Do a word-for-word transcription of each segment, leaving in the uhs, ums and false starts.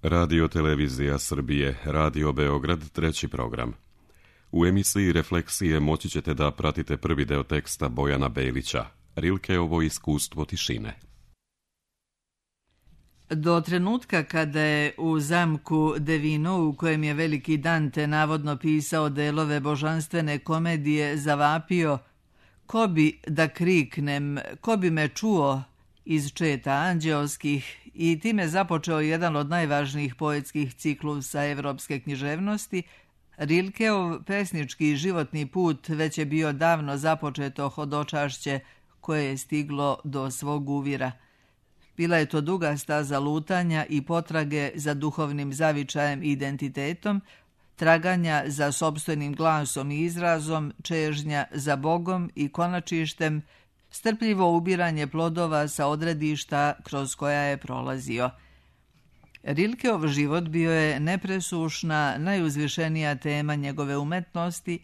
Radio Televizija Srbije, Radio Beograd, treći program. U emisiji Refleksije moći ćete da pratite prvi deo teksta Bojana Belića, Rilkeovo iskustvo tišine. Do trenutka kada je u zamku Devino, u kojem je veliki Dante navodno pisao delove božanstvene komedije, zavapio: ko bi da kriknem, ko bi me čuo iz četa anđeoskih, i time započeo jedan od najvažnijih poetskih ciklusa evropske književnosti, Rilkeov pesnički životni put već je bio davno započeto hodočašće koje je stiglo do svog uvira. Bila je to duga staza lutanja i potrage za duhovnim zavičajem i identitetom, traganja za sopstvenim glasom i izrazom, čežnja za Bogom i konačištem, strpljivo ubiranje plodova sa odredišta kroz koja je prolazio. Rilkeov život bio je nepresušna, najuzvišenija tema njegove umetnosti,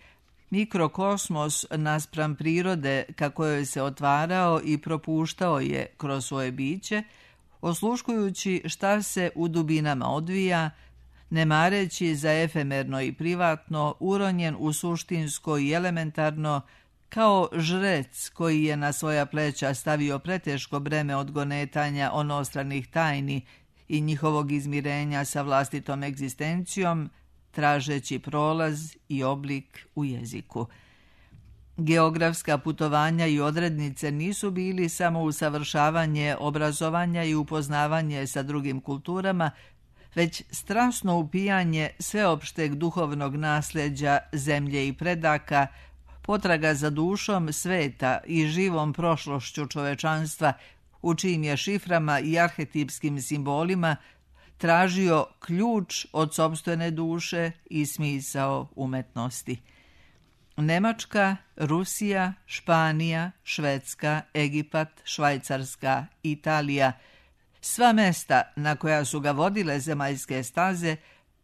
mikrokosmos naspram prirode kako joj se otvarao i propuštao je kroz svoje biće, osluškujući šta se u dubinama odvija, ne mareći za efemerno i privatno, uronjen u suštinsko i elementarno, kao žrec koji je na svoja pleća stavio preteško breme odgonetanja onostranih tajni i njihovog izmirenja sa vlastitom egzistencijom, tražeći prolaz i oblik u jeziku. Geografska putovanja i odrednice nisu bili samo usavršavanje obrazovanja i upoznavanje sa drugim kulturama, već strasno upijanje sveopšteg duhovnog nasljeđa zemlje i predaka, potraga za dušom sveta i živom prošlošću čovečanstva, u čijim je šiframa i arhetipskim simbolima tražio ključ od sopstvene duše i smisao umetnosti. Nemačka, Rusija, Španija, Švedska, Egipat, Švajcarska, Italija, sva mesta na koja su ga vodile zemaljske staze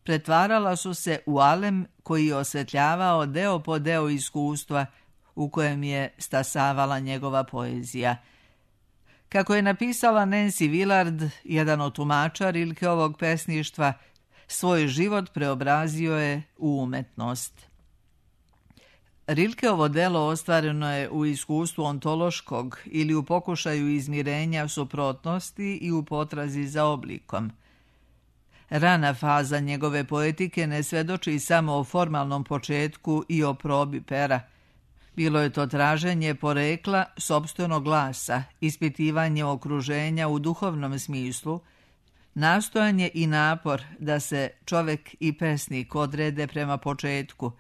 pretvarala su se u alem koji je osvetljavao deo po deo iskustva u kojem je stasavala njegova poezija. Kako je napisala Nancy Willard, jedan od tumača Rilkeovog pesništva, svoj život preobrazio je u umetnost. Rilkeovo delo ostvareno je u iskustvu ontološkog ili u pokušaju izmirenja suprotnosti i u potrazi za oblikom. Rana faza njegove poetike ne svedoči samo o formalnom početku i o probi pera. Bilo je to traženje porekla sopstvenog glasa, ispitivanje okruženja u duhovnom smislu, nastojanje i napor da se čovek i pesnik odrede prema početku,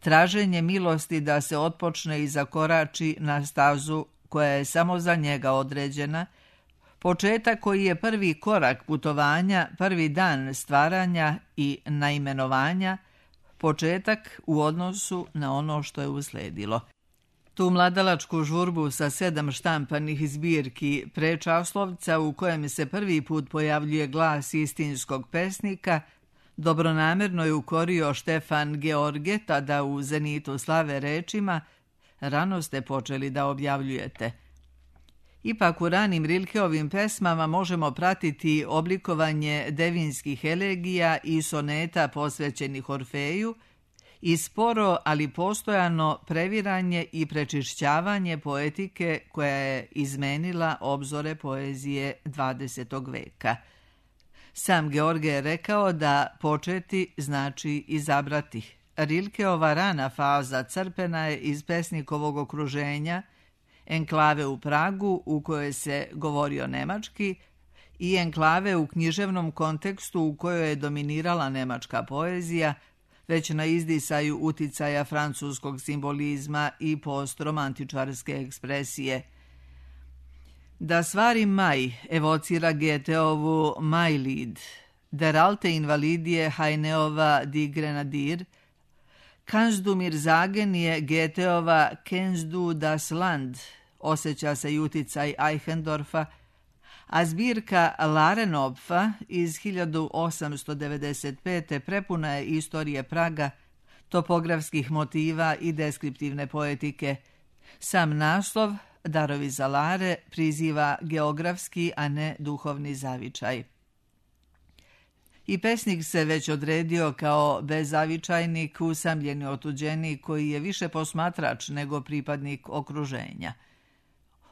traženje milosti da se otpočne i zakorači na stazu koja je samo za njega određena, početak koji je prvi korak putovanja, prvi dan stvaranja i naimenovanja, početak u odnosu na ono što je usledilo. Tu mladalačku žurbu sa sedam štampanih zbirki prečaslovca u kojem se prvi put pojavljuje glas istinskog pesnika, dobronamerno je ukorio Štefan George, tada u zenitu slave, rečima: rano ste počeli da objavljujete. Ipak u ranim Rilkeovim pesmama možemo pratiti oblikovanje devinskih elegija i soneta posvećenih Orfeju i sporo, ali postojano previranje i prečišćavanje poetike koja je izmenila obzore poezije dvadesetog veka. Sam George je rekao da početi znači izabrati. Rilkeova rana faza crpena je iz pesnikovog okruženja, enklave u Pragu u kojoj se govorio nemački i enklave u književnom kontekstu u kojoj je dominirala nemačka poezija, već na izdisaju uticaja francuskog simbolizma i postromantičarske ekspresije. Das war im Mai evocira Goetheovu Mailied, Der alte Invalidije Heineova Die Grenadier, Kannst du mir sagen je Goetheova Kennst du das Land, osjeća se i uticaj Eichendorfa, a zbirka Larenopfa iz hiljadu osamsto devedeset pete prepuna je istorije Praga, topografskih motiva i deskriptivne poetike. Sam naslov, Darovi za Lare, priziva geografski, a ne duhovni zavičaj. I pesnik se već odredio kao bezavičajnik, usamljeni otuđenik koji je više posmatrač nego pripadnik okruženja.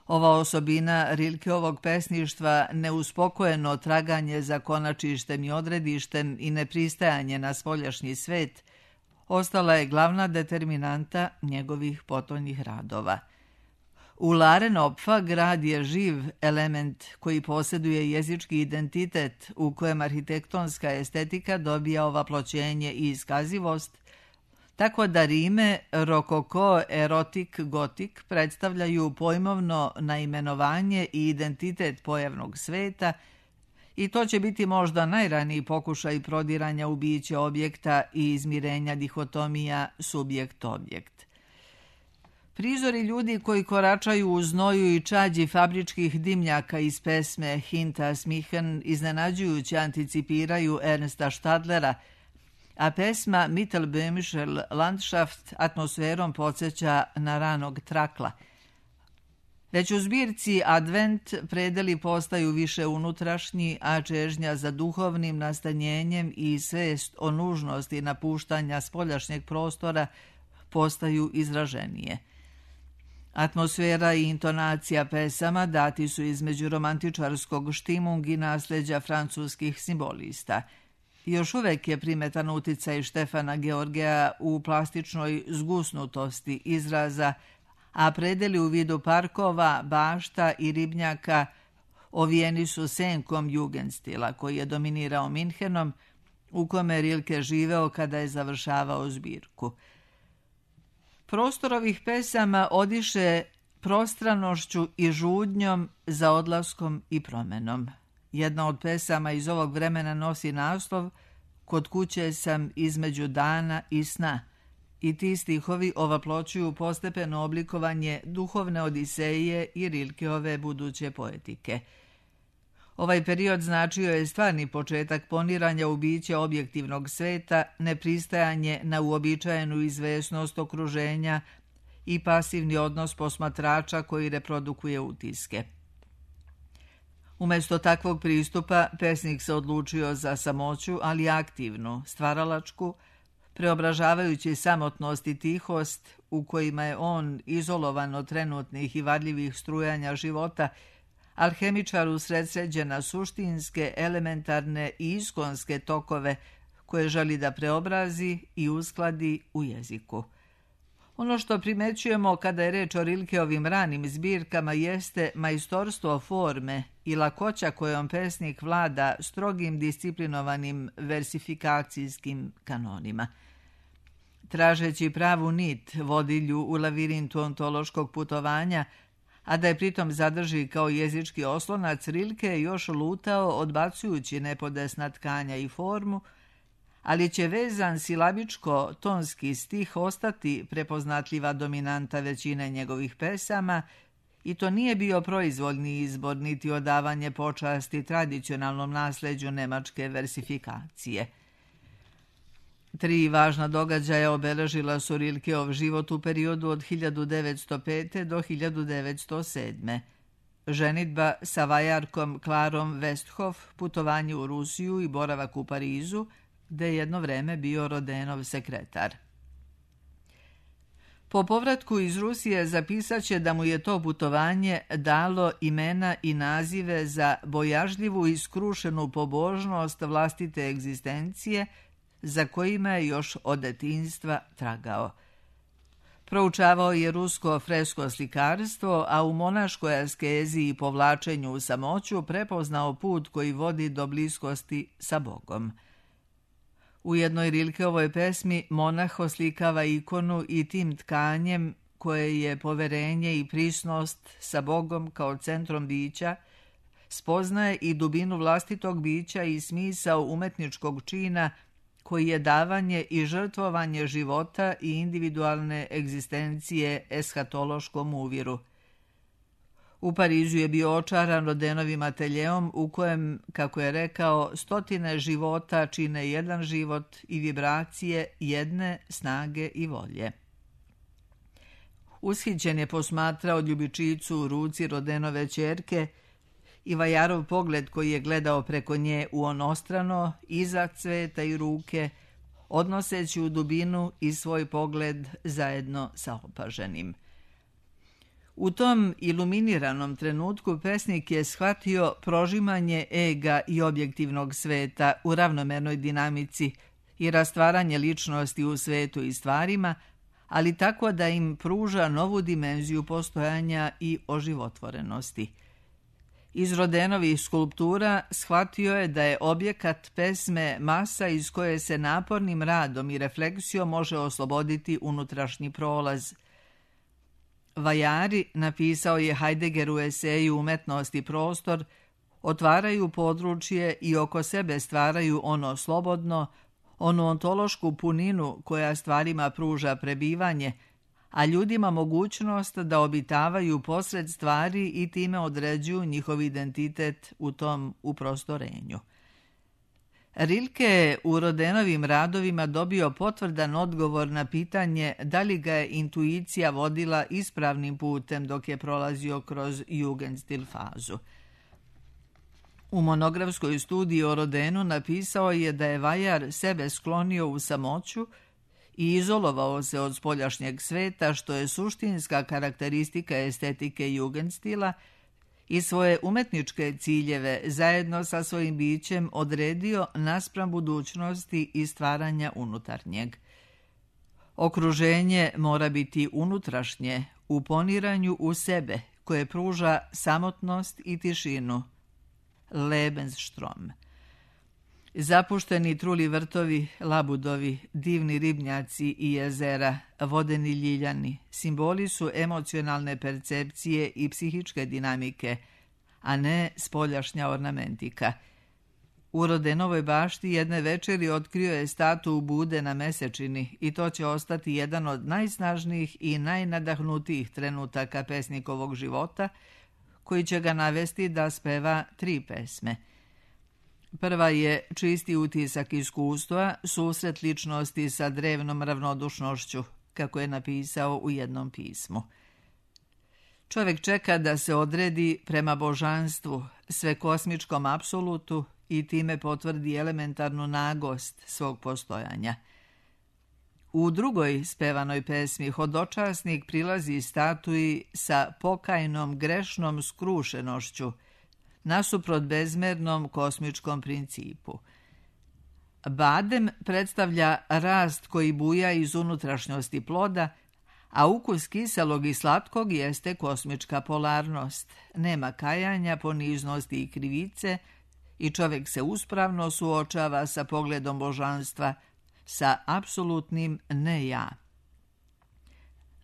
Ova osobina Rilkeovog pesništva, neuspokojeno traganje za konačištem i odredištem i nepristajanje na spoljašnji svet, ostala je glavna determinanta njegovih potonjih radova. U Larenopfa grad je živ element koji posjeduje jezički identitet u kojem arhitektonska estetika dobija ovaploćenje i iskazivost, tako da rime rokoko, erotik, gotik predstavljaju pojmovno naimenovanje i identitet pojavnog sveta i to će biti možda najraniji pokušaj prodiranja u biće objekta i izmirenja dihotomija subjekt-objekt. Prizori ljudi koji koračaju u znoju i čađi fabričkih dimnjaka iz pesme Hinta Smichen iznenađujuće anticipiraju Ernsta Stadlera, a pesma Mittelböhmischer Landschaft atmosferom podsjeća na ranog Trakla. Već u zbirci Advent predeli postaju više unutrašnji, a čežnja za duhovnim nastanjenjem i svest o nužnosti napuštanja spoljašnjeg prostora postaju izraženije. Atmosfera i intonacija pesama dati su između romantičarskog štimung i nasljeđa francuskih simbolista. Još uvek je primetan uticaj Štefana Georgija u plastičnoj zgusnutosti izraza, a predeli u vidu parkova, bašta i ribnjaka ovijeni su senkom jugendstila koji je dominirao Minhenom, u kome Rilke živeo kada je završavao zbirku. Prostor ovih pesama odiše prostranošću i žudnjom za odlaskom i promenom. Jedna od pesama iz ovog vremena nosi naslov Kod kuće sam između dana i sna i ti stihovi ovaploćuju postepeno oblikovanje duhovne odiseje i Rilkeove buduće poetike. Ovaj period značio je stvarni početak poniranja u biće objektivnog sveta, nepristajanje na uobičajenu izvesnost okruženja i pasivni odnos posmatrača koji reprodukuje utiske. Umjesto takvog pristupa, pesnik se odlučio za samoću, ali aktivnu, stvaralačku, preobražavajući samotnost i tihost u kojima je on, izolovan od trenutnih i varljivih strujanja života, alhemičar usredsređena suštinske, elementarne i iskonske tokove koje želi da preobrazi i uskladi u jeziku. Ono što primećujemo kada je reč o Rilkeovim ranim zbirkama jeste majstorstvo forme i lakoća kojom pesnik vlada strogim disciplinovanim versifikacijskim kanonima. Tražeći pravu nit vodilju u lavirintu ontološkog putovanja, a da je pritom zadrži kao jezički oslonac, Rilke je još lutao odbacujući nepodesna tkanja i formu, ali će vezan silabičko-tonski stih ostati prepoznatljiva dominanta većine njegovih pesama i to nije bio proizvoljni izbor niti odavanje počasti tradicionalnom nasljeđu nemačke versifikacije. Tri važna događaja obeležila su Rilkeov život u periodu od hiljadu devetsto pete. do hiljadu devetsto sedme. Ženidba sa vajarkom Klarom Westhoff, putovanje u Rusiju i boravak u Parizu, gde je jedno vreme bio Rodenov sekretar. Po povratku iz Rusije zapisaće da mu je to putovanje dalo imena i nazive za bojažljivu i skrušenu pobožnost vlastite egzistencije, za kojima je još od detinjstva tragao. Proučavao je rusko fresko slikarstvo, a u monaškoj askezi i povlačenju u samoću prepoznao put koji vodi do bliskosti sa Bogom. U jednoj Rilkeovoj pesmi monah oslikava ikonu i tim tkanjem koje je poverenje i prisnost sa Bogom kao centrom bića, spoznaje i dubinu vlastitog bića i smisao umetničkog čina koji je davanje i žrtvovanje života i individualne egzistencije eshatološkom uviru. U Parizu je bio očaran Rodenovim ateljeom u kojem, kako je rekao, stotine života čine jedan život i vibracije jedne snage i volje. Ushićen je posmatrao ljubičicu u ruci Rodenove ćerke i Vajarov pogled koji je gledao preko nje u onostrano, iza cveta i ruke, odnoseći u dubinu i svoj pogled zajedno sa opaženim. U tom iluminiranom trenutku pesnik je shvatio prožimanje ega i objektivnog sveta u ravnomernoj dinamici i rastvaranje ličnosti u svetu i stvarima, ali tako da im pruža novu dimenziju postojanja i oživotvorenosti. Iz Rodenovih skulptura shvatio je da je objekat pesme masa iz koje se napornim radom i refleksijom može osloboditi unutrašnji prolaz. Vajari, napisao je Heidegger u eseju Umetnost i prostor, otvaraju područje i oko sebe stvaraju ono slobodno, onu ontološku puninu koja stvarima pruža prebivanje, a ljudima mogućnost da obitavaju posred stvari i time određuju njihov identitet u tom uprostorenju. Rilke je u Rodenovim radovima dobio potvrdan odgovor na pitanje da li ga je intuicija vodila ispravnim putem dok je prolazio kroz Jugendstil fazu. U monografskoj studiji o Rodenu napisao je da je Vajar sebe sklonio u samoću i izolovao se od spoljašnjeg sveta, što je suštinska karakteristika estetike Jugendstila, i svoje umetničke ciljeve zajedno sa svojim bićem odredio naspram budućnosti i stvaranja unutarnjeg. Okruženje mora biti unutrašnje u poniranju u sebe, koje pruža samotnost i tišinu. Lebensstrom. Zapušteni truli vrtovi, labudovi, divni ribnjaci i jezera, vodeni ljiljani, simboli su emocionalne percepcije i psihičke dinamike, a ne spoljašnja ornamentika. U Rodenovoj bašti jedne večeri otkrio je statu Bude na Mesečini i to će ostati jedan od najsnažnijih i najnadahnutijih trenutaka pesnikovog života, koji će ga navesti da speva tri pesme. Prva je čisti utisak iskustva, susret ličnosti sa drevnom ravnodušnošću, kako je napisao u jednom pismu. Čovjek čeka da se odredi prema božanstvu, sve kosmičkom apsolutu i time potvrdi elementarnu nagost svog postojanja. U drugoj spevanoj pesmi hodočasnik prilazi statuji sa pokajnom grešnom skrušenošću, nasuprot bezmernom kosmičkom principu. Badem predstavlja rast koji buja iz unutrašnjosti ploda, a ukus kiselog i slatkog jeste kosmička polarnost. Nema kajanja, poniznosti i krivice i čovjek se uspravno suočava sa pogledom božanstva, sa apsolutnim ne ja.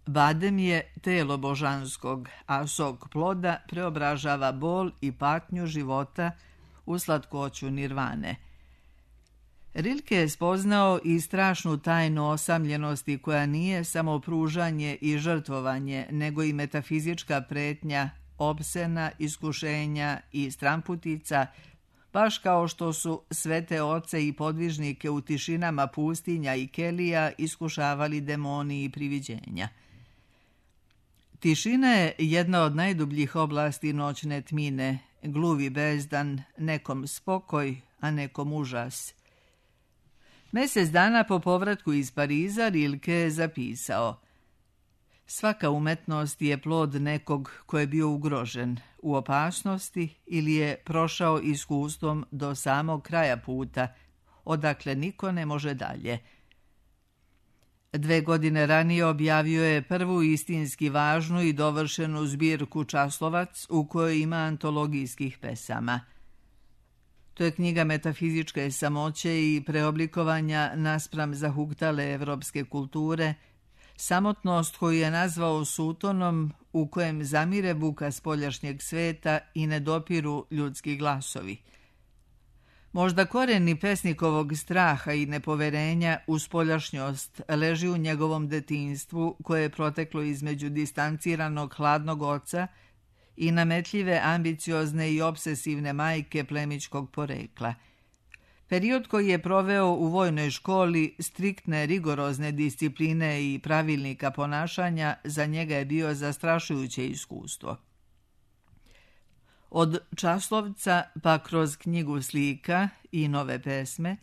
Badem je telo božanskog, a sok ploda preobražava bol i patnju života u slatkoću nirvane. Rilke je spoznao i strašnu tajnu osamljenosti koja nije samo pružanje i žrtvovanje, nego i metafizička pretnja, opsena, iskušenja i stramputica, baš kao što su svete oce i podvižnike u tišinama pustinja i kelija iskušavali demoni i priviđenja. Tišina je jedna od najdubljih oblasti noćne tmine, gluvi bezdan, nekom spokoj, a nekom užas. Mjesec dana po povratku iz Pariza Rilke je zapisao: svaka umetnost je plod nekog ko je bio ugrožen, u opasnosti ili je prošao iskustvom do samog kraja puta, odakle niko ne može dalje. Dve godine ranije objavio je prvu istinski važnu i dovršenu zbirku Časlovac u kojoj ima antologijskih pesama. To je knjiga metafizičke samoće i preoblikovanja naspram zahuktale evropske kulture, samotnost koju je nazvao sutonom u kojem zamire buka spoljašnjeg sveta i ne dopiru ljudski glasovi. Možda koreni pesnikovog straha i nepoverenja u spoljašnjost leži u njegovom detinjstvu koje je proteklo između distanciranog hladnog oca i nametljive, ambiciozne i obsesivne majke plemićkog porekla. Period koji je proveo u vojnoj školi striktne, rigorozne discipline i pravilnika ponašanja za njega je bio zastrašujuće iskustvo. Od Časlovca pa kroz knjigu slika i nove pesme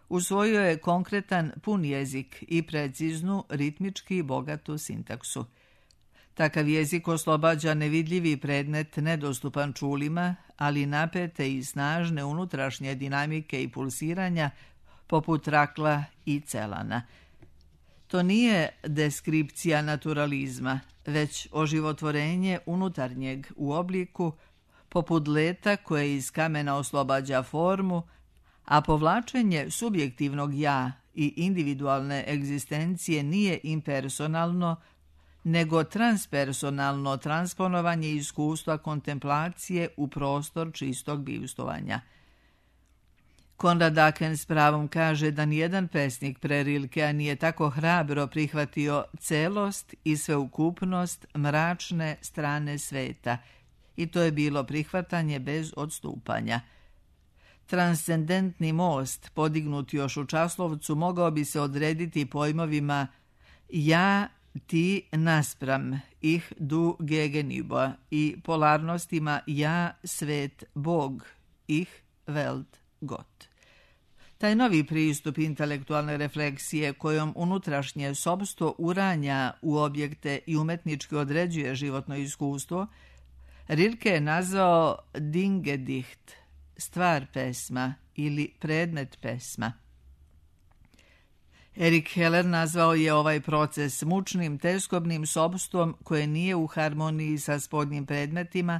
usvojio je konkretan pun jezik i preciznu, ritmički bogatu sintaksu. Takav jezik oslobađa nevidljivi predmet nedostupan čulima, ali napete i snažne unutrašnje dinamike i pulsiranja poput rakla i celana. To nije deskripcija naturalizma, već oživotvorenje unutarnjeg u obliku, poput leta koje iz kamena oslobađa formu, a povlačenje subjektivnog ja i individualne egzistencije nije impersonalno, nego transpersonalno transponovanje iskustva kontemplacije u prostor čistog bivstovanja. Konrad Aken s pravom kaže da nijedan pesnik pre Rilkea nije tako hrabro prihvatio celost i sveukupnost mračne strane sveta, i to je bilo prihvatanje bez odstupanja. Transcendentni most, podignut još u Časlovcu, mogao bi se odrediti pojmovima ja, ti naspram, ich, du, gegenüber i polarnostima ja, svet, Bog, ich, Welt, Gott. Taj novi pristup intelektualne refleksije kojom unutrašnje sopstvo uranja u objekte i umetnički određuje životno iskustvo, Rilke je nazvao Dingedicht, stvar pesma ili predmet pesma. Erik Heller nazvao je ovaj proces mučnim, teskobnim sopstvom koje nije u harmoniji sa spodnjim predmetima,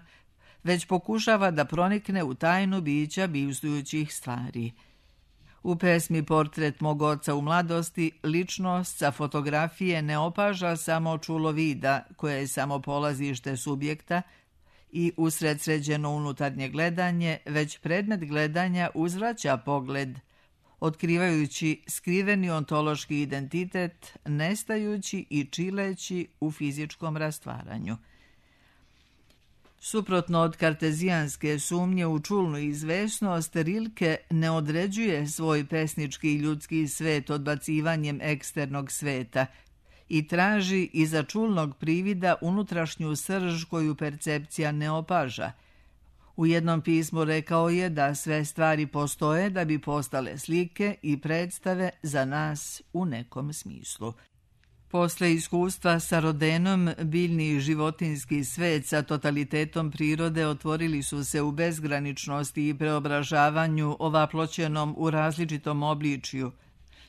već pokušava da pronikne u tajnu bića bivstujućih stvari. U pesmi Portret mog oca u mladosti ličnost sa fotografije ne opaža samo čulo vida, koje je samo polazište subjekta, i usredsređeno unutarnje gledanje, već predmet gledanja uzvraća pogled, otkrivajući skriveni ontološki identitet, nestajući i čileći u fizičkom rastvaranju. Suprotno od kartezijanske sumnje u čulnu izvesnost, Rilke ne određuje svoj pesnički i ljudski svet odbacivanjem eksternog sveta i traži iza čulnog privida unutrašnju srž koju percepcija ne opaža. U jednom pismu rekao je da sve stvari postoje da bi postale slike i predstave za nas u nekom smislu. Posle iskustva sa Rodenom, biljni i životinski svet sa totalitetom prirode otvorili su se u bezgraničnosti i preobražavanju ovaploćenom u različitom obličju.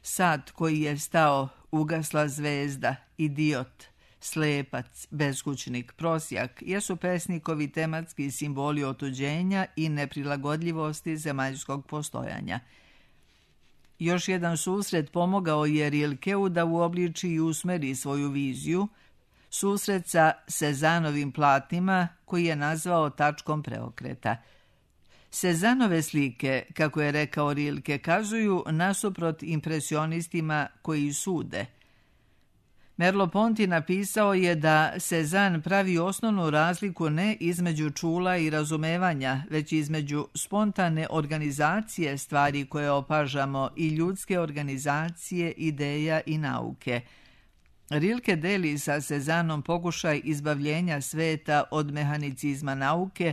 Sad koji je stao, ugasla zvezda, idiot, slepac, beskućnik, prosjak, jesu pesnikovi tematski simboli otuđenja i neprilagodljivosti zemaljskog postojanja. Još jedan susret pomogao je Rilkeu da uobliči i usmeri svoju viziju, susret sa Sezanovim platnima koji je nazvao tačkom preokreta. Sezanove slike, kako je rekao Rilke, kazuju nasuprot impresionistima koji sude. Merleau-Ponty napisao je da Cezanne pravi osnovnu razliku ne između čula i razumevanja, već između spontane organizacije stvari koje opažamo i ljudske organizacije ideja i nauke. Rilke deli sa Cezannom pokušaj izbavljenja sveta od mehanicizma nauke,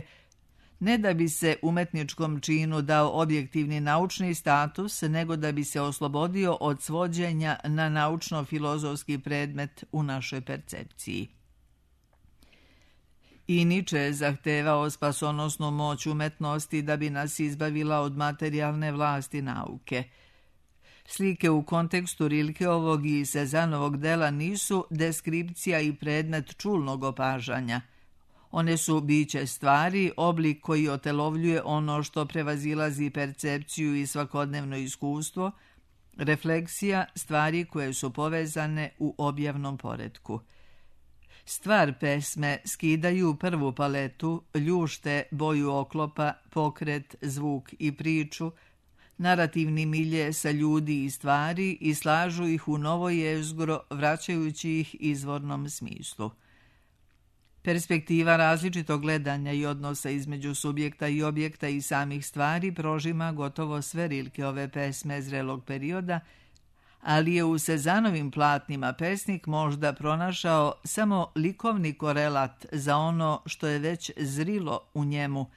ne da bi se umetničkom činu dao objektivni naučni status, nego da bi se oslobodio od svođenja na naučno-filozofski predmet u našoj percepciji. I Nietzsche je zahtevao spasonosnu moć umetnosti da bi nas izbavila od materijalne vlasti nauke. Slike u kontekstu Rilkeovog i Cezanovog dela nisu deskripcija i predmet čulnog opažanja. One su biće stvari, oblik koji otelovljuje ono što prevazilazi percepciju i svakodnevno iskustvo, refleksija stvari koje su povezane u objavnom poretku. Stvar pesme skidaju prvu paletu, ljušte boju oklopa, pokret, zvuk i priču, narativni milje sa ljudi i stvari i slažu ih u novo jezgro, vraćajući ih izvornom smislu. Perspektiva različitog gledanja i odnosa između subjekta i objekta i samih stvari prožima gotovo sve Rilkeove pesme zrelog perioda, ali je u Cezanovim platnima pesnik možda pronašao samo likovni korelat za ono što je već zrilo u njemu,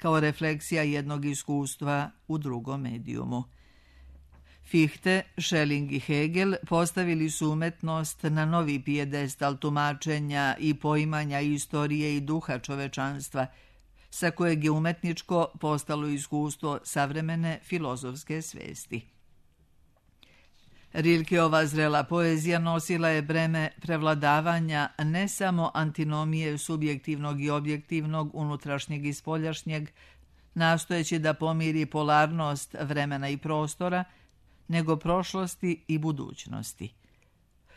kao refleksija jednog iskustva u drugom medijumu. Fichte, Schelling i Hegel postavili su umetnost na novi pijedestal tumačenja i poimanja istorije i duha čovečanstva, sa kojeg je umetničko postalo iskustvo savremene filozofske svesti. Rilkeova zrela poezija nosila je breme prevladavanja ne samo antinomije subjektivnog i objektivnog, unutrašnjeg i spoljašnjeg, nastojeći da pomiri polarnost vremena i prostora, nego prošlosti i budućnosti.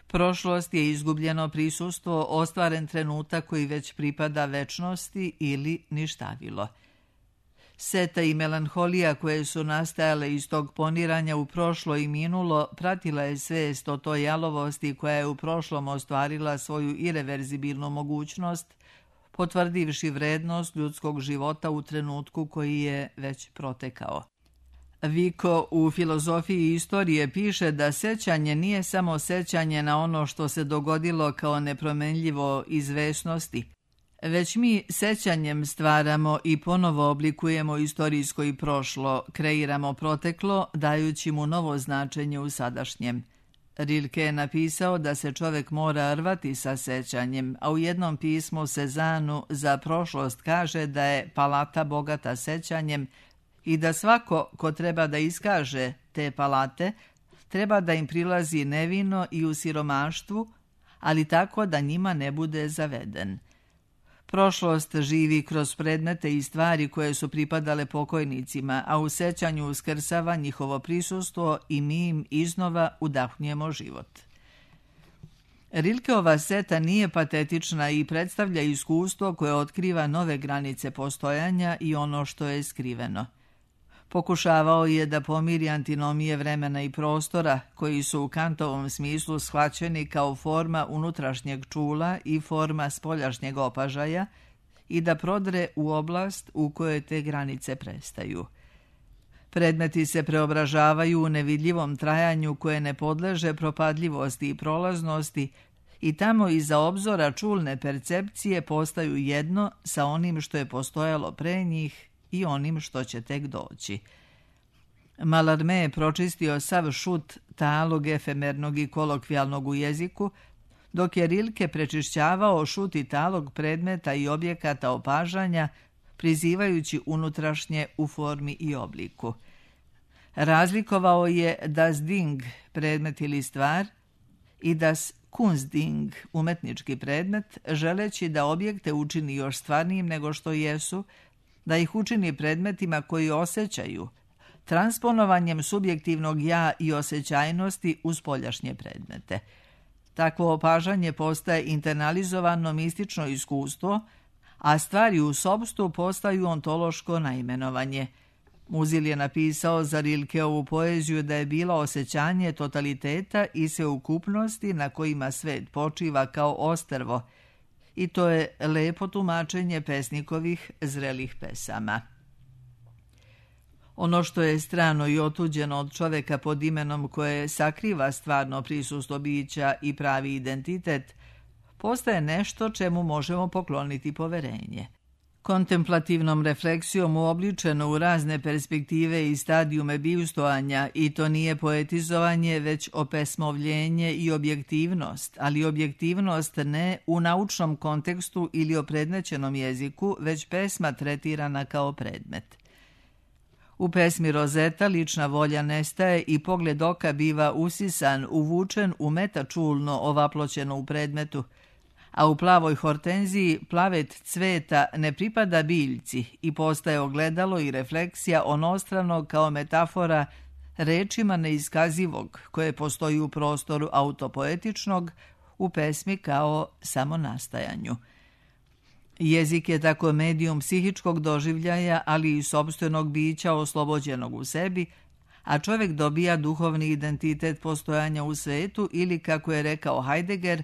Prošlost je izgubljeno prisustvo, ostvaren trenutak koji već pripada večnosti ili ništavilo. Seta i melanholija koje su nastajale iz tog poniranja u prošlo i minulo pratila je svest o toj jalovosti koja je u prošlom ostvarila svoju ireverzibilnu mogućnost, potvrdivši vrednost ljudskog života u trenutku koji je već protekao. Vico u filozofiji istorije piše da sećanje nije samo sećanje na ono što se dogodilo kao nepromenljivo izvesnosti, već mi sećanjem stvaramo i ponovo oblikujemo istorijsko i prošlo, kreiramo proteklo, dajući mu novo značenje u sadašnjem. Rilke je napisao da se čovek mora rvati sa sećanjem, a u jednom pismu Sezanu za prošlost kaže da je palata bogata sećanjem i da svako ko treba da iskaže te palate treba da im prilazi nevino i u siromaštvu, ali tako da njima ne bude zaveden. Prošlost živi kroz predmete i stvari koje su pripadale pokojnicima, a u sećanju uskrsava njihovo prisustvo i mi im iznova udahnjemo život. Rilkeova seta nije patetična i predstavlja iskustvo koje otkriva nove granice postojanja i ono što je skriveno. Pokušavao je da pomiri antinomije vremena i prostora, koji su u Kantovom smislu shvaćeni kao forma unutrašnjeg čula i forma spoljašnjeg opažaja i da prodre u oblast u kojoj te granice prestaju. Predmeti se preobražavaju u nevidljivom trajanju koje ne podleže propadljivosti i prolaznosti i tamo iza obzora čulne percepcije postaju jedno sa onim što je postojalo pre njih i onim što će tek doći. Mallarmé je pročistio sav šut talog efemernog i kolokvijalnog u jeziku, dok je Rilke prečišćavao šut i talog predmeta i objekata opažanja, prizivajući unutrašnje u formi i obliku. Razlikovao je das Ding, predmet ili stvar, i das Kunstding, umetnički predmet, želeći da objekte učini još stvarnijim nego što jesu, da ih učini predmetima koji osjećaju, transponovanjem subjektivnog ja i osjećajnosti u spoljašnje predmete. Takvo opažanje postaje internalizovano mistično iskustvo, a stvari u sopstvu postaju ontološko naimenovanje. Muzil je napisao za Rilkeovu poeziju da je bilo osjećanje totaliteta i sveukupnosti na kojima svet počiva kao ostrvo, i to je lepo tumačenje pesnikovih zrelih pesama. Ono što je strano i otuđeno od čoveka pod imenom koje sakriva stvarno prisustvo bića i pravi identitet, postaje nešto čemu možemo pokloniti poverenje. Kontemplativnom refleksijom uobličeno u razne perspektive i stadijume bivstvovanja, i to nije poetizovanje, već opesmovljenje i objektivnost, ali objektivnost ne u naučnom kontekstu ili opredmećenom jeziku, već pesma tretirana kao predmet. U pesmi Rozeta lična volja nestaje i pogled oka biva usisan, uvučen u metačulno ovaploćeno u predmetu, a u Plavoj hortenziji plavet cveta ne pripada biljci i postaje ogledalo i refleksija onostranog kao metafora rečima neiskazivog koje postoji u prostoru autopoetičnog, u pesmi kao samonastajanju. Jezik je tako medijum psihičkog doživljaja, ali i sopstvenog bića oslobođenog u sebi, a čovjek dobija duhovni identitet postojanja u svetu ili, kako je rekao Heidegger,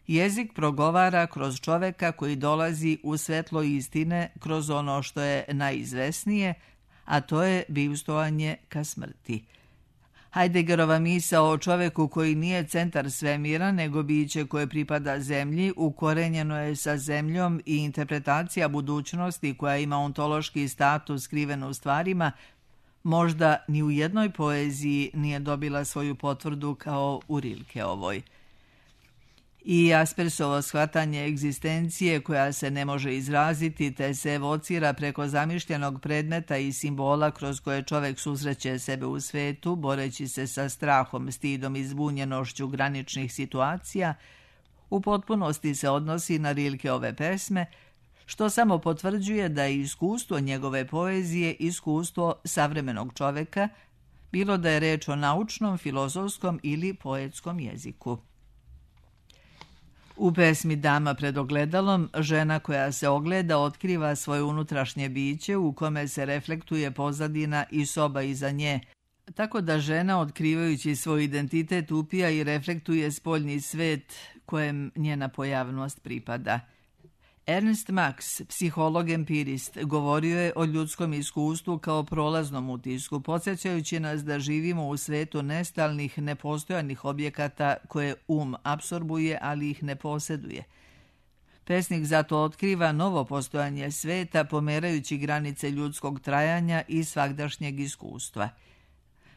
jezik progovara kroz čoveka koji dolazi u svetlo istine kroz ono što je najizvesnije, a to je bivstvovanje ka smrti. Heideggerova misao o čoveku koji nije centar svemira, nego biće koje pripada zemlji, ukorenjeno je sa zemljom i interpretacija budućnosti koja ima ontološki status skriven u stvarima, možda ni u jednoj poeziji nije dobila svoju potvrdu kao u Rilkeovoj. I Jaspersovo shvatanje egzistencije koja se ne može izraziti te se evocira preko zamišljenog predmeta i simbola kroz koje čovek susreće sebe u svetu, boreći se sa strahom, stidom i zbunjenošću graničnih situacija, u potpunosti se odnosi na Rilkeove pesme, što samo potvrđuje da je iskustvo njegove poezije iskustvo savremenog čoveka, bilo da je reč o naučnom, filozofskom ili poetskom jeziku. U pesmi Dama pred ogledalom, žena koja se ogleda otkriva svoje unutrašnje biće u kome se reflektuje pozadina i soba iza nje, tako da žena, otkrivajući svoj identitet, upija i reflektuje spoljni svet kojem njena pojavnost pripada. Ernst Mach, psiholog empirist, govorio je o ljudskom iskustvu kao prolaznom utisku, podsjećajući nas da živimo u svetu nestalnih, nepostojanih objekata koje um apsorbuje, ali ih ne posjeduje. Pesnik zato otkriva novo postojanje sveta, pomerajući granice ljudskog trajanja i svagdašnjeg iskustva.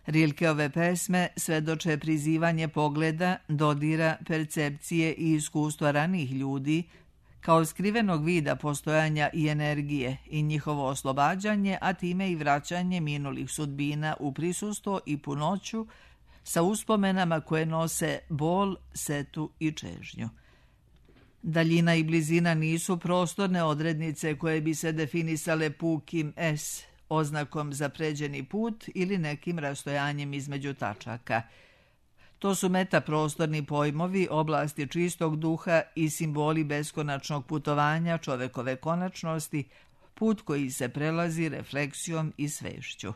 Rilkeove pesme svedoče prizivanje pogleda, dodira, percepcije i iskustva ranijih ljudi, kao skrivenog vida postojanja i energije i njihovo oslobađanje, a time i vraćanje minulih sudbina u prisustvo i punoću sa uspomenama koje nose bol, setu i čežnju. Daljina i blizina nisu prostorne odrednice koje bi se definisale pukim S, oznakom za pređeni put ili nekim rastojanjem između tačaka. To su metaprostorni pojmovi, oblasti čistog duha i simboli beskonačnog putovanja čovekove konačnosti, put koji se prelazi refleksijom i svešću.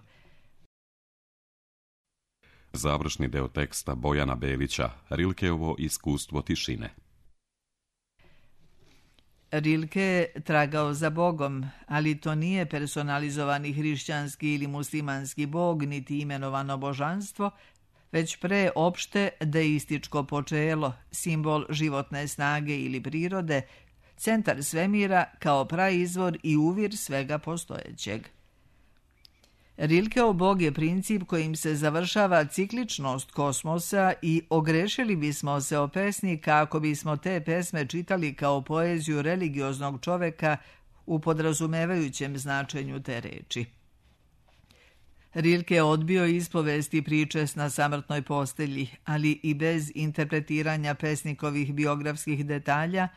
Završni deo teksta Bojana Belića, Rilkeovo iskustvo tišine. Rilke je tragao za Bogom, ali to nije personalizovani hrišćanski ili muslimanski bog, niti imenovano božanstvo, već pre opšte deističko počelo, simbol životne snage ili prirode, centar svemira kao praizvor i uvir svega postojećeg. Rilkeov bog je princip kojim se završava cikličnost kosmosa i ogrešili bismo se o pesnika ako bismo te pesme čitali kao poeziju religioznog čoveka u podrazumevajućem značenju te reči. Rilke je odbio ispovesti priče na samrtnoj postelji, ali i bez interpretiranja pesnikovih biografskih detalja,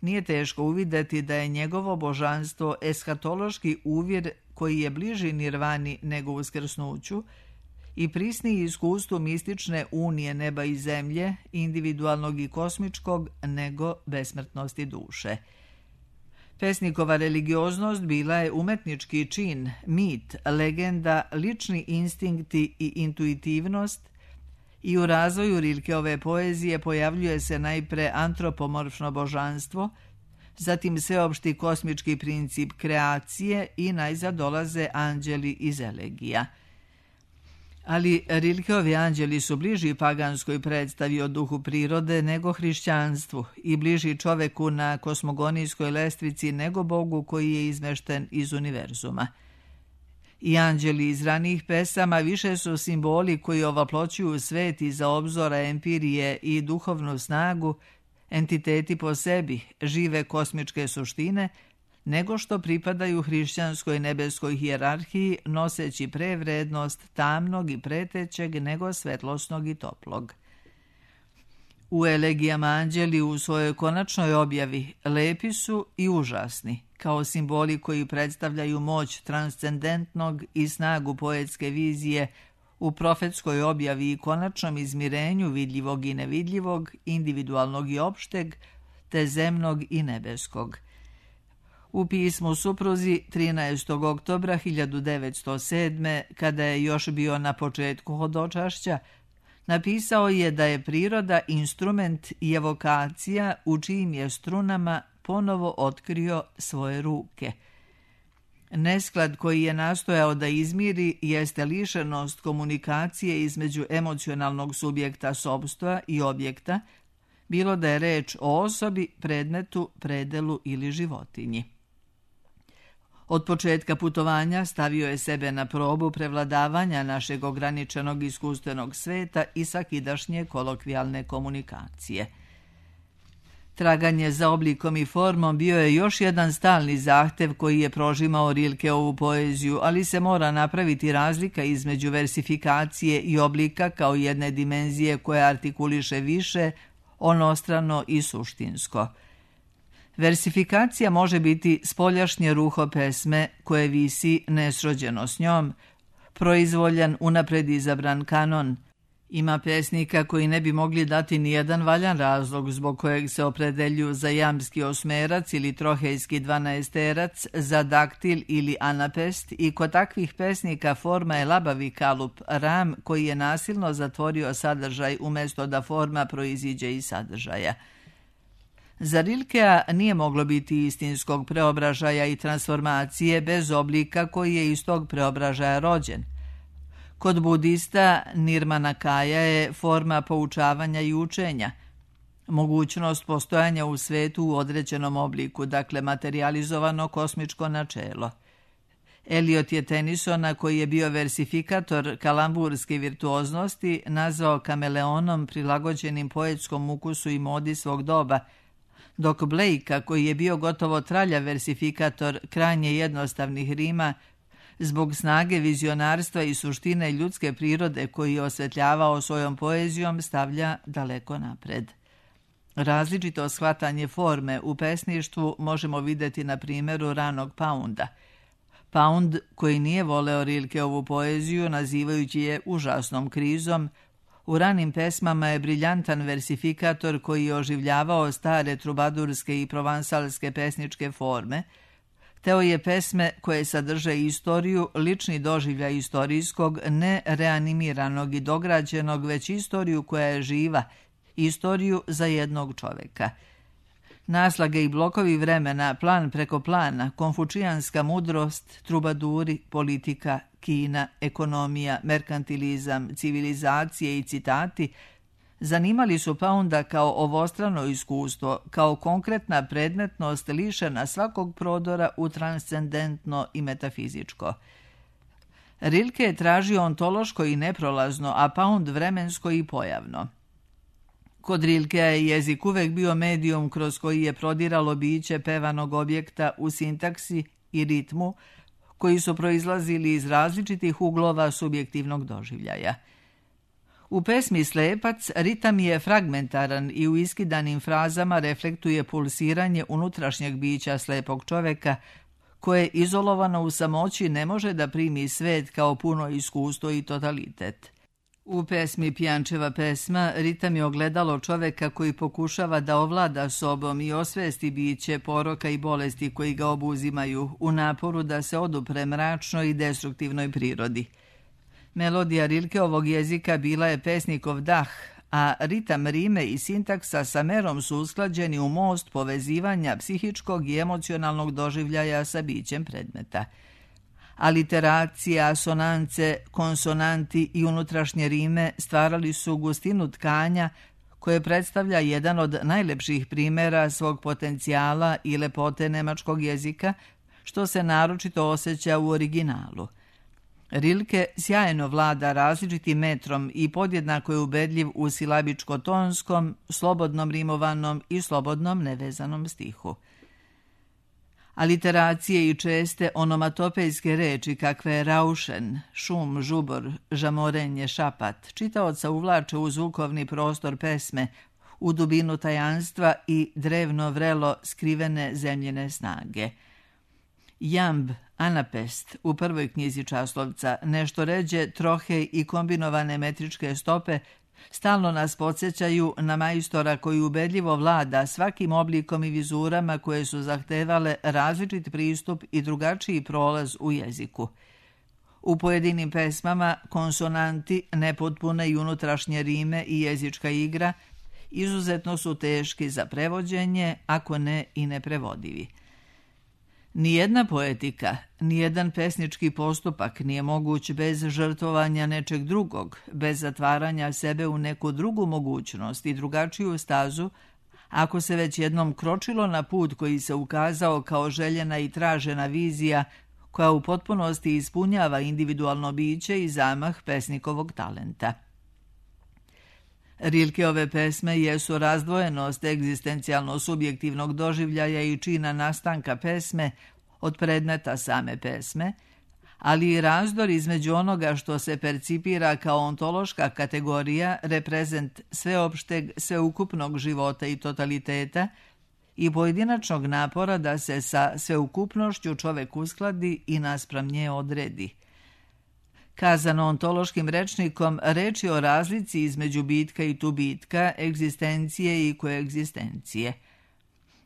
nije teško uvideti da je njegovo božanstvo eshatološki uvjer koji je bliži nirvani nego uskrsnuću i prisniji iskustvu mistične unije neba i zemlje, individualnog i kosmičkog, nego besmrtnosti duše. Pesnikova religioznost bila je umetnički čin, mit, legenda, lični instinkti i intuitivnost i u razvoju Rilkeove poezije pojavljuje se najpre antropomorfno božanstvo, zatim sveopšti kosmički princip kreacije i najzad dolaze anđeli iz elegija. Ali Rilkeovi anđeli su bliži paganskoj predstavi o duhu prirode nego hrišćanstvu i bliži čoveku na kosmogonijskoj lestvici nego Bogu koji je izmešten iz univerzuma. I anđeli iz ranijih pesama više su simboli koji ovaploćuju svet iza obzora empirije i duhovnu snagu, entiteti po sebi, žive kosmičke suštine, nego što pripadaju hrišćanskoj nebeskoj hijerarhiji noseći prevrednost tamnog i pretećeg nego svetlosnog i toplog. U elegijama anđeli u svojoj konačnoj objavi lepi su i užasni, kao simboli koji predstavljaju moć transcendentnog i snagu poetske vizije u profetskoj objavi i konačnom izmirenju vidljivog i nevidljivog, individualnog i opšteg, te zemnog i nebeskog. U pismu supruzi trinaestog oktobra hiljadu devetsto sedme, kada je još bio na početku hodočašća, napisao je da je priroda instrument i evokacija u čijim je strunama ponovo otkrio svoje ruke. Nesklad koji je nastojao da izmiri jeste lišenost komunikacije između emocionalnog subjekta sopstva i objekta, bilo da je reč o osobi, predmetu, predelu ili životinji. Od početka putovanja stavio je sebe na probu prevladavanja našeg ograničenog iskustvenog sveta i sakidašnje kolokvijalne komunikacije. Traganje za oblikom i formom bio je još jedan stalni zahtev koji je prožimao Rilkeovu poeziju, ali se mora napraviti razlika između versifikacije i oblika kao jedne dimenzije koja artikuliše više, onostrano i suštinsko. Versifikacija može biti spoljašnje ruho pesme koje visi nesrođeno s njom, proizvoljan unapred izabran kanon. Ima pesnika koji ne bi mogli dati nijedan valjan razlog zbog kojeg se opredeljuju za jamski osmerac ili trohejski dvanaesterac, za daktil ili anapest i kod takvih pesnika forma je labavi kalup, ram koji je nasilno zatvorio sadržaj umjesto da forma proiziđe iz sadržaja. Za Rilkea nije moglo biti istinskog preobražaja i transformacije bez oblika koji je iz tog preobražaja rođen. Kod budista Nirmanakaya je forma poučavanja i učenja, mogućnost postojanja u svetu u određenom obliku, dakle materializovano kosmičko načelo. Eliot je Tennysona, koji je bio versifikator kalamburske virtuoznosti, nazvao kameleonom prilagođenim poetskom ukusu i modi svog doba, dok Blakea, koji je bio gotovo traljav versifikator krajnje jednostavnih rima, zbog snage vizionarstva i suštine ljudske prirode koji je osvetljavao svojom poezijom, stavlja daleko napred. Različito shvatanje forme u pesništvu možemo vidjeti na primjeru ranog Pounda. Pound, koji nije voleo Rilkeovu poeziju, nazivajući je užasnom krizom, u ranim pesmama je briljantan versifikator koji je oživljavao stare trubadurske i provansalske pesničke forme. Teo je pesme koje sadrže istoriju, lični doživljaj istorijskog, ne reanimiranog i dograđenog, već istoriju koja je živa, istoriju za jednog čoveka. Naslage i blokovi vremena, plan preko plana, konfučijanska mudrost, trubaduri, politika, Kina, ekonomija, merkantilizam, civilizacije i citati zanimali su Pounda kao ovostrano iskustvo, kao konkretna predmetnost lišena svakog prodora u transcendentno i metafizičko. Rilke je tražio ontološko i neprolazno, a Pound vremensko i pojavno. Kod Rilkea je jezik uvek bio medijum kroz koji je prodiralo biće pevanog objekta u sintaksi i ritmu, koji su proizlazili iz različitih uglova subjektivnog doživljaja. U pesmi Slepac ritam je fragmentaran i u iskidanim frazama reflektuje pulsiranje unutrašnjeg bića slepog čoveka, koje izolovano u samoći ne može da primi svet kao puno iskustvo i totalitet. U pesmi Pijančeva pesma ritam je ogledalo čoveka koji pokušava da ovlada sobom i osvesti biće poroka i bolesti koji ga obuzimaju u naporu da se odupre mračnoj i destruktivnoj prirodi. Melodija Rilkeovog jezika bila je pesnikov dah, a ritam rime i sintaksa sa merom su usklađeni u most povezivanja psihičkog i emocionalnog doživljaja sa bićem predmeta. Aliteracija, asonance, konsonanti i unutrašnje rime stvarali su gustinu tkanja koje predstavlja jedan od najlepših primjera svog potencijala i lepote nemačkog jezika, što se naročito osjeća u originalu. Rilke sjajno vlada različitim metrom i podjednako je ubedljiv u silabičko-tonskom, slobodnom rimovanom i slobodnom nevezanom stihu. Aliteracije i česte onomatopejske reči kakve je raušen, šum, žubor, žamorenje, šapat, čitaoca uvlače u zvukovni prostor pesme, u dubinu tajanstva i drevno vrelo skrivene zemljene snage. Jamb, anapest, u prvoj knjizi Časlovca, nešto ređe, trohej i kombinovane metričke stope stalno nas podsjećaju na majstora koji ubedljivo vlada svakim oblikom i vizurama koje su zahtevale različit pristup i drugačiji prolaz u jeziku. U pojedinim pesmama konsonanti, nepotpune i unutrašnje rime i jezička igra izuzetno su teški za prevođenje, ako ne i neprevodivi. Nijedna poetika, nijedan pesnički postupak nije moguć bez žrtvovanja nečeg drugog, bez zatvaranja sebe u neku drugu mogućnost i drugačiju stazu, ako se već jednom kročilo na put koji se ukazao kao željena i tražena vizija koja u potpunosti ispunjava individualno biće i zamah pesnikovog talenta. Rilkeove pesme jesu razdvojenost egzistencijalno-subjektivnog doživljaja i čina nastanka pesme od predmeta same pesme, ali i razdor između onoga što se percipira kao ontološka kategorija, reprezent sveopšteg, sveukupnog života i totaliteta i pojedinačnog napora da se sa sveukupnošću čovek uskladi i naspram nje odredi. Kazano ontološkim rečnikom, reč je o razlici između bitka i tubitka, egzistencije i koegzistencije.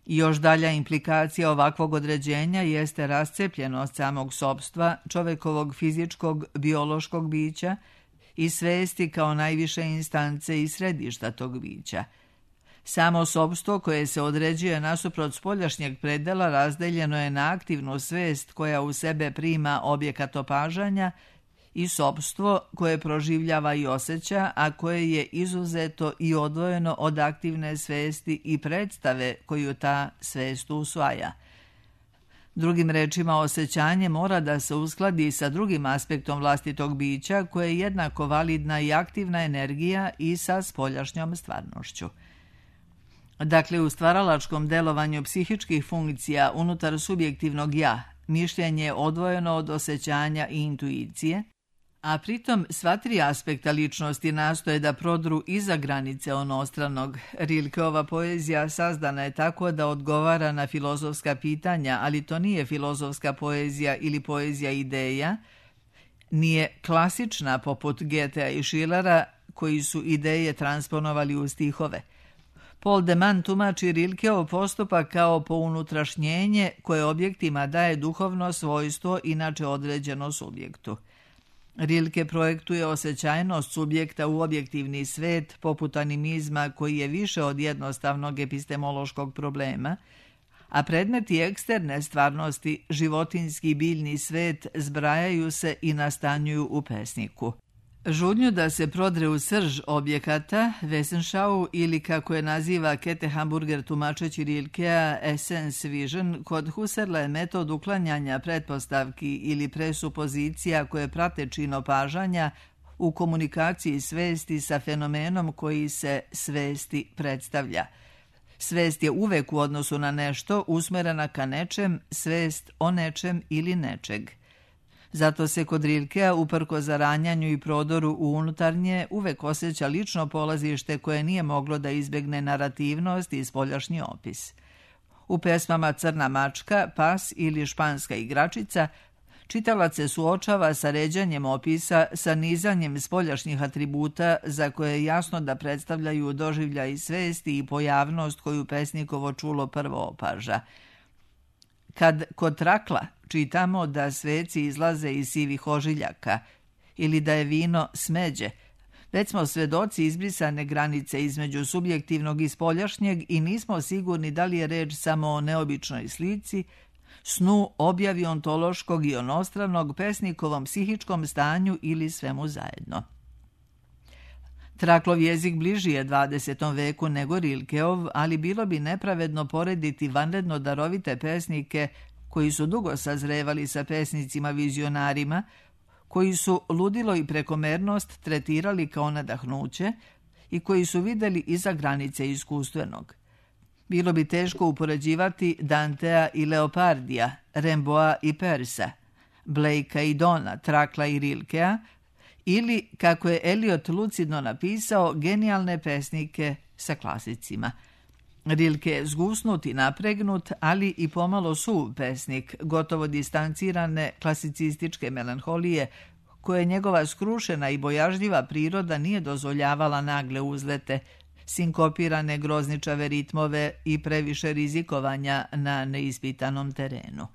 Još dalja implikacija ovakvog određenja jeste rascepljenost samog sopstva, čovekovog fizičkog, biološkog bića i svesti kao najviše instance i središta tog bića. Samo sopstvo koje se određuje nasuprot spoljašnjeg predela razdeljeno je na aktivnu svest koja u sebe prima objekat opažanja i sopstvo koje proživljava i osjeća, a koje je izuzeto i odvojeno od aktivne svesti i predstave koju ta svest usvaja. Drugim rečima, osjećanje mora da se uskladi sa drugim aspektom vlastitog bića koje je jednako validna i aktivna energija i sa spoljašnjom stvarnošću. Dakle, u stvaralačkom delovanju psihičkih funkcija unutar subjektivnog ja, mišljenje je odvojeno od osjećanja i intuicije, a pritom sva tri aspekta ličnosti nastoje da prodru iza granice onostranog. Rilkeova poezija sazdana je tako da odgovara na filozofska pitanja, ali to nije filozofska poezija ili poezija ideja, nije klasična poput Goethea i Schillera koji su ideje transponovali u stihove. Paul de Man tumači Rilkeov postupak kao pounutrašnjenje koje objektima daje duhovno svojstvo inače određeno subjektu. Rilke projektuje osjećajnost subjekta u objektivni svet poput animizma koji je više od jednostavnog epistemološkog problema, a predmeti eksterne stvarnosti, životinski biljni svet, zbrajaju se i nastanjuju u pesniku. Žudnju da se prodre u srž objekata, Wesensschau ili kako je naziva Kete Hamburger tumačeći Rilkea Essence Vision, kod Husserla je metod uklanjanja pretpostavki ili presupozicija koje prate čin opažanja u komunikaciji svesti sa fenomenom koji se svesti predstavlja. Svest je uvek u odnosu na nešto usmerena ka nečem, svest o nečem ili nečeg. Zato se kod Rilkea, uprko zaranjanju i prodoru u unutarnje, uvek osjeća lično polazište koje nije moglo da izbegne narativnost i spoljašnji opis. U pesmama Crna mačka, Pas ili Španska igračica, čitalac se suočava sa ređanjem opisa, sa nizanjem spoljašnjih atributa za koje je jasno da predstavljaju doživljaj svesti i pojavnost koju pesnikovo čulo prvo opaža. Kad kod Trakla čitamo da sveci izlaze iz sivih ožiljaka ili da je vino smeđe, već smo svedoci izbrisane granice između subjektivnog i spoljašnjeg i nismo sigurni da li je reč samo o neobičnoj slici, snu, objavi ontološkog i onostranog, pesnikovom psihičkom stanju ili svemu zajedno. Traklov jezik bliži je dvadesetom veku nego Rilkeov, ali bilo bi nepravedno porediti vanredno darovite pesnike koji su dugo sazrevali sa pesnicima vizionarima, koji su ludilo i prekomernost tretirali kao nadahnuće i koji su videli iza granice iskustvenog. Bilo bi teško upoređivati Dantea i Leopardija, Rimbaуда i Persa, Blakea i Dona, Trakla i Rilkea, ili, kako je Eliot lucidno napisao, genijalne pesnike sa klasicima. Rilke je zgusnut i napregnut, ali i pomalo suv pesnik, gotovo distancirane klasicističke melanholije, koje njegova skrušena i bojažljiva priroda nije dozvoljavala nagle uzlete, sinkopirane grozničave ritmove i previše rizikovanja na neispitanom terenu.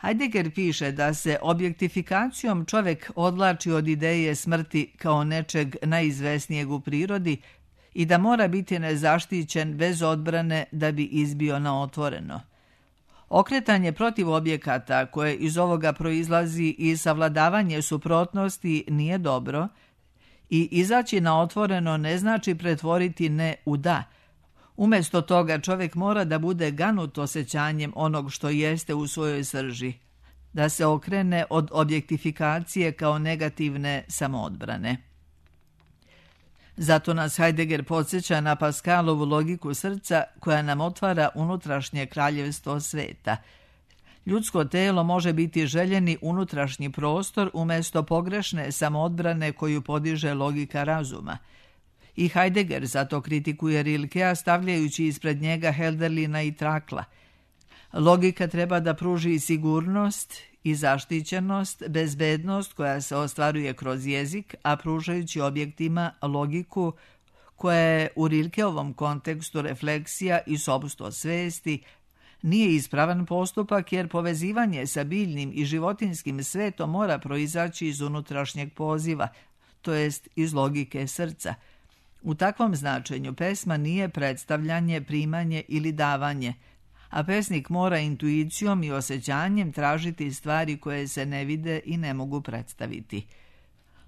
Heidegger piše da se objektifikacijom čovek odvlači od ideje smrti kao nečeg najizvesnijeg u prirodi i da mora biti nezaštićen bez odbrane da bi izbio na otvoreno. Okretanje protiv objekata koje iz ovoga proizlazi i savladavanje suprotnosti nije dobro i izaći na otvoreno ne znači pretvoriti ne u da. Umjesto toga čovjek mora da bude ganut osjećanjem onog što jeste u svojoj srži, da se okrene od objektifikacije kao negativne samoodbrane. Zato nas Heidegger podsjeća na Pascalovu logiku srca koja nam otvara unutrašnje kraljevstvo sveta. Ljudsko telo može biti željeni unutrašnji prostor umjesto pogrešne samoodbrane koju podiže logika razuma. I Heidegger zato kritikuje Rilkea stavljajući ispred njega Hölderlina i Trakla. Logika treba da pruži sigurnost i zaštićenost, bezbednost koja se ostvaruje kroz jezik, a pružajući objektima logiku koja je u Rilkeovom kontekstu refleksija i sopstvo svesti, nije ispravan postupak jer povezivanje sa biljnim i životinskim svetom mora proizaći iz unutrašnjeg poziva, to jest iz logike srca. U takvom značenju pesma nije predstavljanje, primanje ili davanje, a pesnik mora intuicijom i osjećanjem tražiti stvari koje se ne vide i ne mogu predstaviti.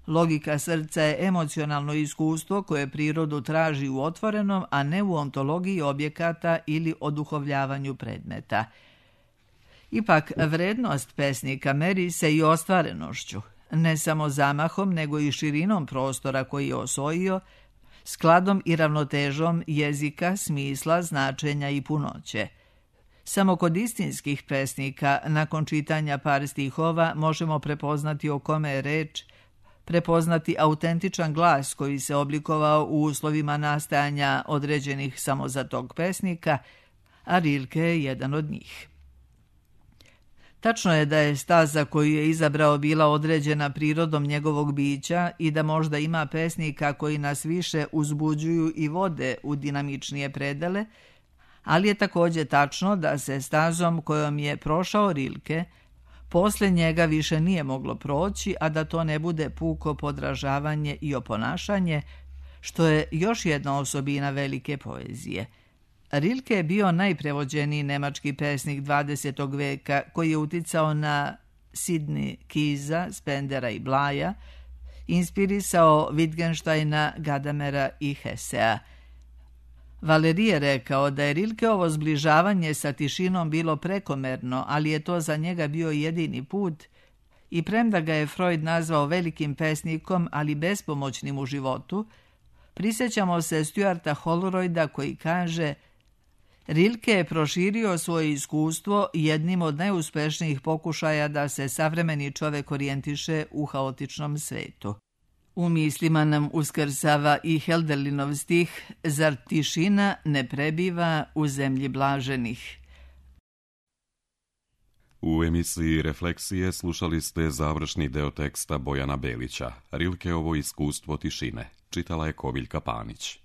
Logika srca je emocionalno iskustvo koje prirodu traži u otvorenom, a ne u ontologiji objekata ili oduhovljavanju predmeta. Ipak, vrednost pesnika meri se i ostvarenošću, ne samo zamahom, nego i širinom prostora koji je osvojio, skladom i ravnotežom jezika, smisla, značenja i punoće. Samo kod istinskih pesnika, nakon čitanja par stihova, možemo prepoznati o kome je reč, prepoznati autentičan glas koji se oblikovao u uslovima nastajanja određenih samo za tog pesnika, a Rilke je jedan od njih. Tačno je da je staza koju je izabrao bila određena prirodom njegovog bića i da možda ima pesnika koji nas više uzbuđuju i vode u dinamičnije predele, ali je također tačno da se stazom kojom je prošao Rilke, posle njega više nije moglo proći, a da to ne bude puko podražavanje i oponašanje, što je još jedna osobina velike poezije. Rilke je bio najprevođeniji nemački pesnik dvadesetog veka koji je uticao na Sidney Kiesa, Spendera i Blaja, inspirisao Wittgensteina, Gadamera i Hessea. Valéry je rekao da je Rilkeovo zbližavanje sa tišinom bilo prekomerno, ali je to za njega bio jedini put i premda ga je Freud nazvao velikim pesnikom, ali bespomoćnim u životu, prisjećamo se Stuarta Holroyda koji kaže: Rilke je proširio svoje iskustvo jednim od najuspešnijih pokušaja da se savremeni čovjek orijentiše u haotičnom svetu. U mislima nam uskrsava i Hölderlinov stih: Zar tišina ne prebiva u zemlji blaženih? U emisiji Refleksije slušali ste završni deo teksta Bojana Belića, Rilkeovo iskustvo tišine. Čitala je Kobiljka Panić.